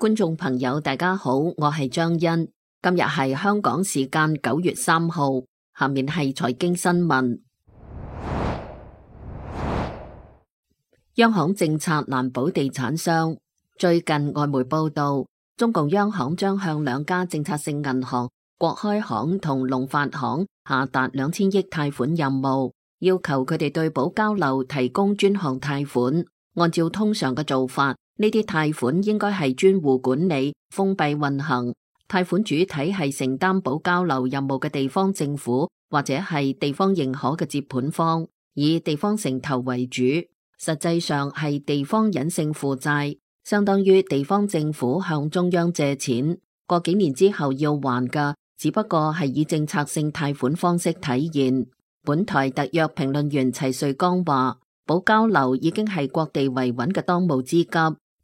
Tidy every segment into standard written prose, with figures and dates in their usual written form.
觀眾朋友大家好，我係張欣，今日係香港時間9月3號，下面係財經新聞。央行政策難保地產商。最近外媒報道，中共央行將向兩家政策性銀行國開行同農發行下達2000億貸款任務，要求佢哋對保交樓提供專項貸款。按照通常嘅做法，呢啲貸款應該係專戶管理、封閉運行，貸款主體係承擔保交樓任務嘅地方政府或者係地方認可嘅接盤方，以地方城投為主。實際上係地方隱性負債，相當於地方政府向中央借錢，過幾年之後要還㗎，只不過係以政策性貸款方式體現。本台特約評論員齊瑞剛話，保交樓已經係各地維穩嘅當務之急。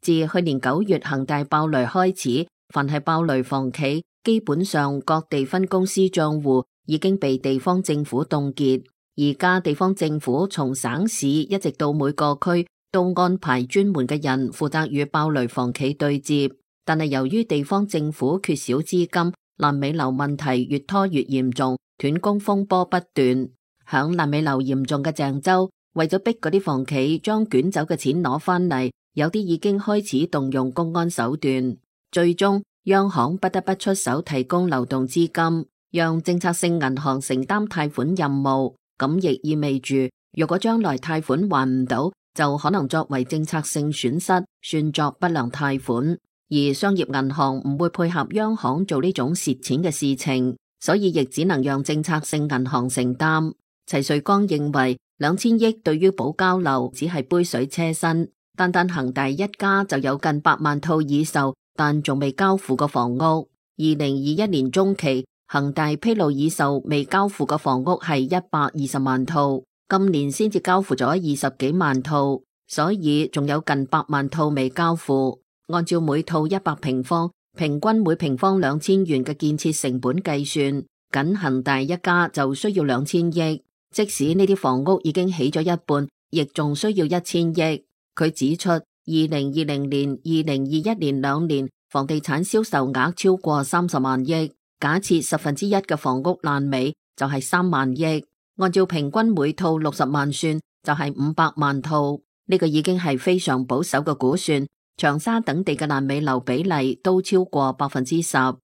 自去年9月恒大爆雷開始，凡係爆雷房企，基本上各地分公司賬戶已經被地方政府凍結。而家地方政府從省市一直到每個區都安排專門嘅人負責與爆雷房企對接，但係由於地方政府缺少資金，爛尾樓問題越拖越嚴重，斷供風波不斷。響爛尾樓嚴重嘅鄭州，為咗逼嗰啲房企將捲走嘅錢攞返嚟，有啲已經開始動用公安手段。最終央行不得不出手提供流動資金，讓政策性銀行承擔貸款任務。咁亦意味住，如果將來貸款還唔到，就可能作為政策性損失，算作不良貸款。而商業銀行唔會配合央行做呢種蝕錢嘅事情，所以亦只能讓政策性銀行承擔。齊瑞剛認為，2000億對於保交樓只係杯水車薪，單單恒大一家就有近8萬套已售但仲未交付嘅房屋。2021年中期，恒大披露已售未交付嘅房屋係120萬套，今年先至交付咗20幾萬套，所以仲有近8萬套未交付。按照每套100平方，平均每平方2000元嘅建設成本計算，僅恒大一家就需要2000億。即使呢啲房屋已經起咗一半，亦仲需要1000億。佢指出，2020年、2021年2年房地產銷售額超過30萬億，假設1/10嘅房屋爛尾就係3萬億，按照平均每套60萬算，就係500萬套。呢個已經係非常保守嘅估算。長沙等地嘅爛尾樓比例都超過10%。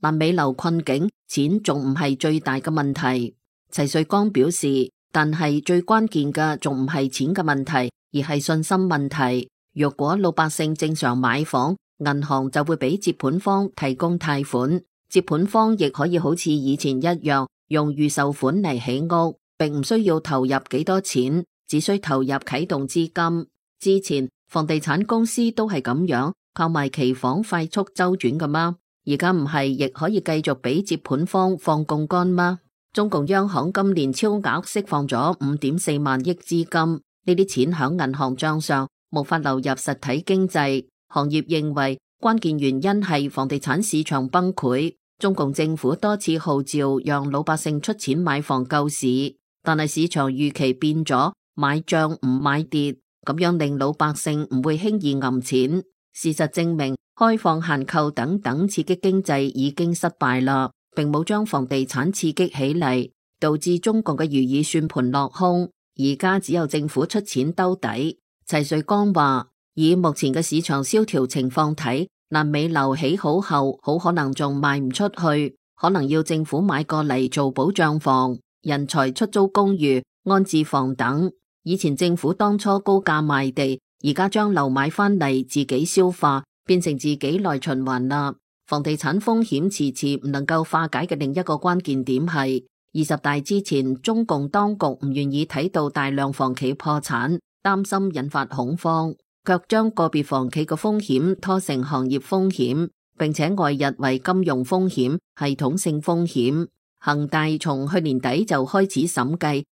爛尾樓困境，錢仲唔係最大嘅問題。齊瑞剛表示，但係最關鍵嘅仲唔係錢嘅問題，而係信心問題。如果老百姓正常買房，銀行就會俾接盤方提供貸款，接盤方亦可以好似以前一樣用預售款嚟起屋，並唔需要投入幾多錢，只需投入啟動資金。之前房地產公司都係咁樣靠賣期房快速周轉㗎嗎？而家唔係亦可以繼續俾接盤方放槓桿嗎？中共央行今年超額釋放咗5.4萬億資金，呢啲錢響銀行賬上無法流入實體經濟。行業認為關鍵原因係房地產市場崩潰，中共政府多次號召讓老百姓出錢買房救市，但係市場預期變咗，買漲唔買跌，咁樣令老百姓唔會輕易揞錢。事實證明，開放限購等等刺激經濟已經失敗啦，並冇將房地產刺激起嚟，導致中共嘅如意算盤落空。而家只有政府出錢兜底。齊瑞剛話，以目前嘅市場蕭條情況睇，爛尾樓起好後，好可能仲賣唔出去，可能要政府買過嚟做保障房、人才出租公寓、安置房等。以前政府當初高價賣地，而家將樓買返嚟自己消化，變成自己內循環啦。房地產風險遲遲唔能夠化解嘅另一個關鍵點係，20大之前中共當局唔願意睇到大量房企破產，擔心引發恐慌，卻將個別房企嘅風險拖成行業風險，並且外溢為金融風險、系統性風險。恒大從去年底就開始審計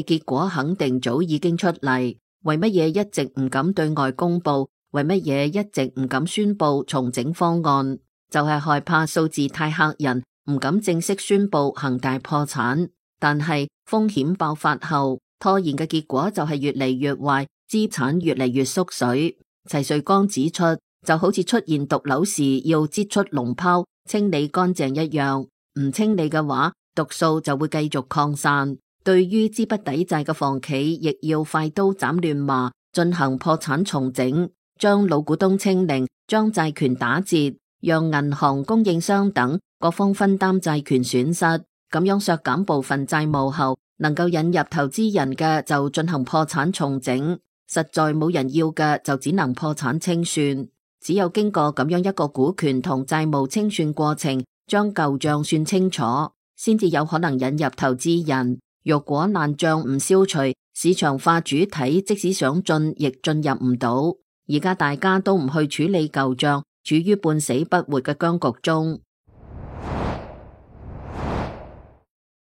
結果肯定早已經出嚟。為乜嘢一直唔敢對外公布？為乜嘢一直唔敢宣布重整方案？就係害怕數字太嚇人，唔敢正式宣布恒大破產。但係風險爆發後，拖延嘅結果就係越嚟越壞，資產越嚟越縮水。齊瑞剛指出，就好似出現毒瘤時要擠出膿泡，清理乾淨一樣，唔清理嘅話，毒素就會繼續擴散。對於資不抵債嘅房企，亦要快刀斬亂麻，進行破產重整，將老股東清零，將債權打折，讓銀行、供應商等各方分擔債權損失，咁樣削減部分債務後，能夠引入投資人嘅就進行破產重整，實在冇人要嘅就只能破產清算。只有經過咁樣一個股權同債務清算過程，將舊賬算清楚，先至有可能引入投資人。若果爛賬唔消除，市場化主體即使想進亦進入唔到。而家大家都唔去處理舊賬，處於半死不活嘅僵局中。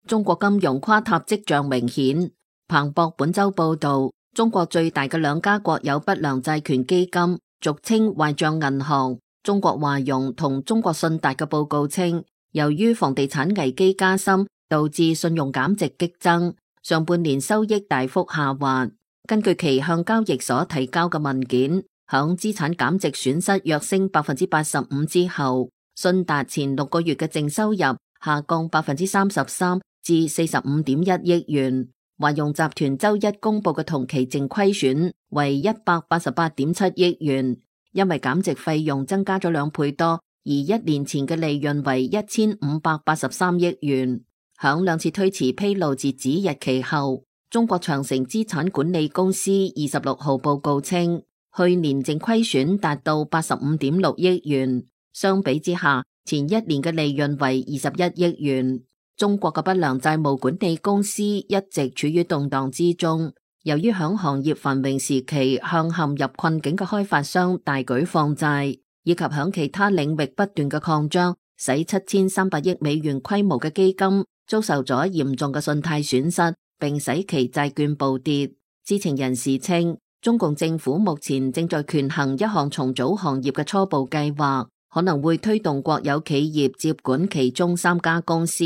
中國金融垮塌跡象明顯。彭博本周報道，中國最大嘅兩家國有不良債權基金，俗稱壞賬銀行，中國華融同中國信達嘅報告稱，由於房地產危機加深，導致信用減值激增，上半年收益大幅下滑。根據其向交易所提交嘅文件，響資產減值損失躍升85%之後，信達前6個月嘅淨收入下降33%至45.1億元。華融集團周一公布嘅同期淨虧損為188.7億元，因為減值費用增加咗2倍多，而1年前嘅利潤為1583億元。響2次推遲披露截止日期後，中國長城資產管理公司26號報告稱，去年淨虧損達到85.6億元，相比之下，前1年嘅利潤為21億元。中國嘅不良債務管理公司一直處於動盪之中，由於響行業繁榮時期向陷入困境嘅開發商大舉放債，以及響其他領域不斷嘅擴張，使7300億美元規模嘅基金遭受咗嚴重嘅信貸損失，並使其債券暴跌。知情人士稱，中共政府目前正在權衡一項重組行業嘅初步計劃，可能會推動國有企業接管其中3家公司。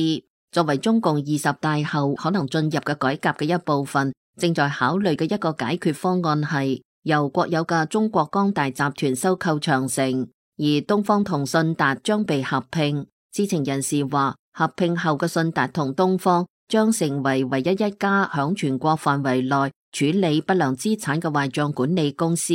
作為中共20大後可能進入嘅改革嘅一部分，正在考慮嘅一個解決方案係由國有嘅中國光大集團收購長城，而東方同信達將被合併。知情人士話，合併後嘅信達同東方將成為唯一一家響全國範圍內處理不良資產嘅壞賬管理公司。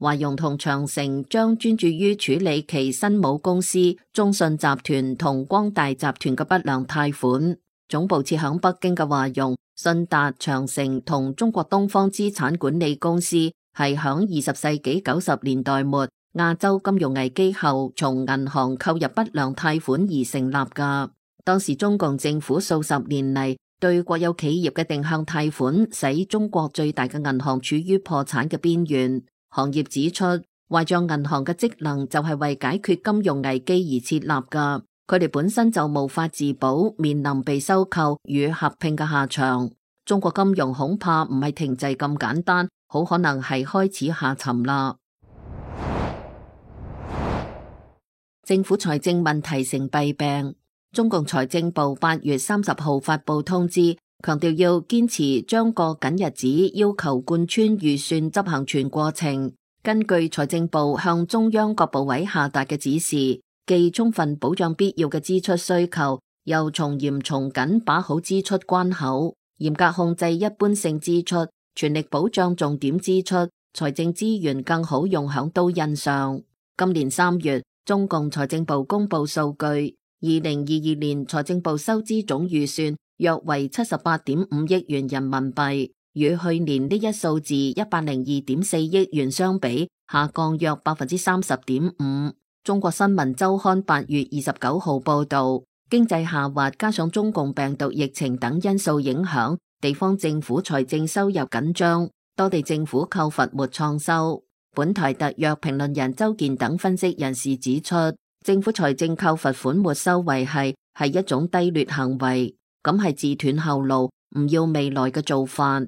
華融同長城將專注於處理其新母公司中信集團同光大集團嘅不良貸款。總部設響北京嘅華融、信達、長城同中國東方資產管理公司係響20世紀90年代末亞洲金融危機後從銀行購入不良貸款而成立㗎。當時中共政府數十年嚟對國有企業嘅定向貸款，使中國最大嘅銀行處於破產嘅邊緣。行業指出，壞賬銀行嘅職能就係為解決金融危機而設立噶，佢哋本身就無法自保，面臨被收購與合併嘅下場。中國金融恐怕唔係停滯咁簡單，好可能係開始下沉啦。政府財政問題成弊病，中共財政部8月30號發布通知，強調要堅持將過緊日子要求貫穿預算執行全過程。根據財政部向中央各部委下達嘅指示，既充分保障必要嘅支出需求，又從嚴從緊把好支出關口，嚴格控制一般性支出，全力保障重點支出，財政資源更好用響刀刃上。今年3月，中共財政部公布數據，2022年財政部收支總預算約為78.5億元人民幣，與去年呢一數字102.4億元相比，下降約30.5%。中國新聞週刊8月29號報道，經濟下滑加上中共病毒疫情等因素影響，地方政府財政收入緊張，多地政府扣罰沒創收。本台特約評論人周健等分析人士指出，政府財政扣罰款沒收維繫係一種低劣行為，咁係自斷後路，唔要未來嘅做法。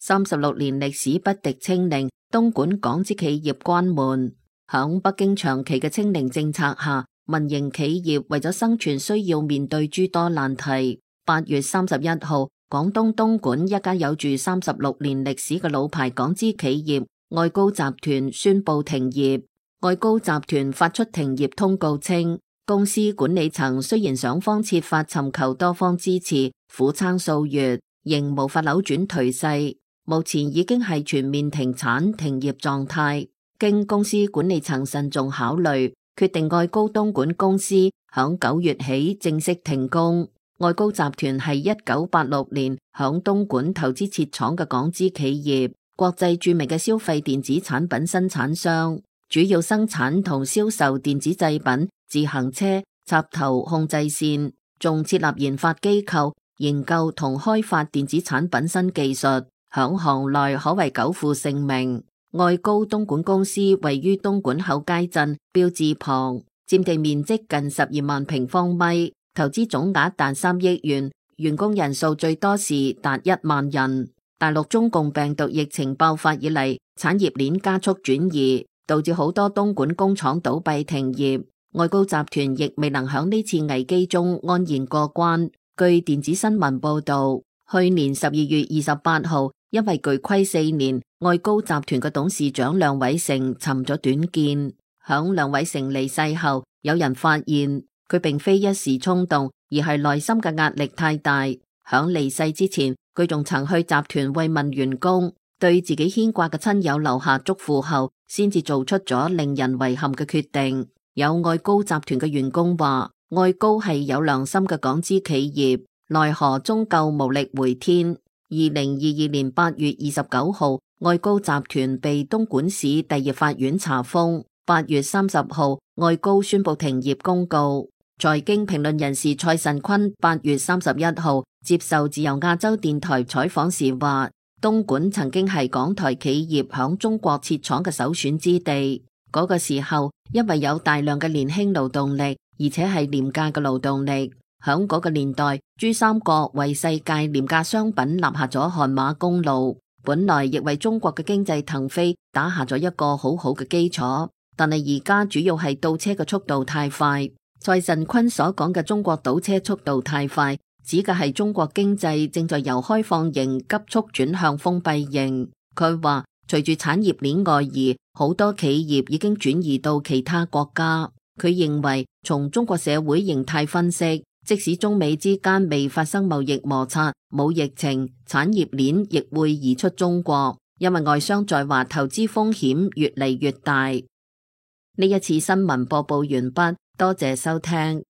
36年歷史不敵清零，東莞港資企業關門。響北京長期嘅清零政策下，民營企業為咗生存需要面對諸多難題。8月31號，廣東東莞一家有住36年歷史嘅老牌港資企業愛高集團宣布停業。愛高集團發出停業通告稱，公司管理層雖然想方設法尋求多方支持，苦撐數月，仍無法扭轉頹勢，目前已經係全面停產停業狀態。經公司管理層慎重考慮，決定愛高東莞公司響9月起正式停工。愛高集團係1986年響東莞投資設廠嘅港資企業，國際著名嘅消費電子產品生產商，主要生產同銷售電子製品、自行車、插頭控制線，仲設立研發機構，研究同開發電子產品新技術，響行內可謂久負盛名。愛高東莞公司位於東莞厚街鎮標誌旁，佔地面積近12萬平方米。投資總額達3億元，員工人數最多時達1萬人。大陸中共病毒疫情爆發以嚟，產業鏈加速轉移，導致好多東莞工廠倒閉停業。愛高集團亦未能響呢次危機中安然過關。據電子新聞報道，去年12月28號，因為巨虧4年，愛高集團嘅董事長梁偉成尋咗短見。響梁偉成離世後，有人發現佢並非一時衝動，而係內心嘅壓力太大。響離世之前，佢仲曾去集團慰問員工，對自己牽掛嘅親友留下祝福後，先至做出咗令人遺憾嘅決定。有愛高集團嘅員工話，愛高係有良心嘅港資企業，奈何終究無力回天。2022年8月29號，愛高集團被東莞市第2法院查封。8月30號，愛高宣布停業公告。財經評論人士蔡慎坤8月31號接受自由亞洲電台採訪時話，東莞曾經係港台企業響中國設廠嘅首選之地。嗰個時候，因為有大量嘅年輕勞動力，而且係廉價嘅勞動力。響嗰個年代，珠三角為世界廉價商品立下咗汗馬功勞，本來亦為中國嘅經濟騰飛打下咗一個好好嘅基礎。但係而家主要係倒車嘅速度太快。蔡慎坤所講嘅中國倒車速度太快，指嘅係中國經濟正在由開放型急速轉向封閉型。佢話，隨住產業鏈外移，好多企業已經轉移到其他國家。佢認為，從中國社會形態分析，即使中美之間未發生貿易摩擦、冇疫情，產業鏈亦會移出中國，因為外商在華投資風險越嚟越大。呢一次新聞播報完畢，多謝收聽。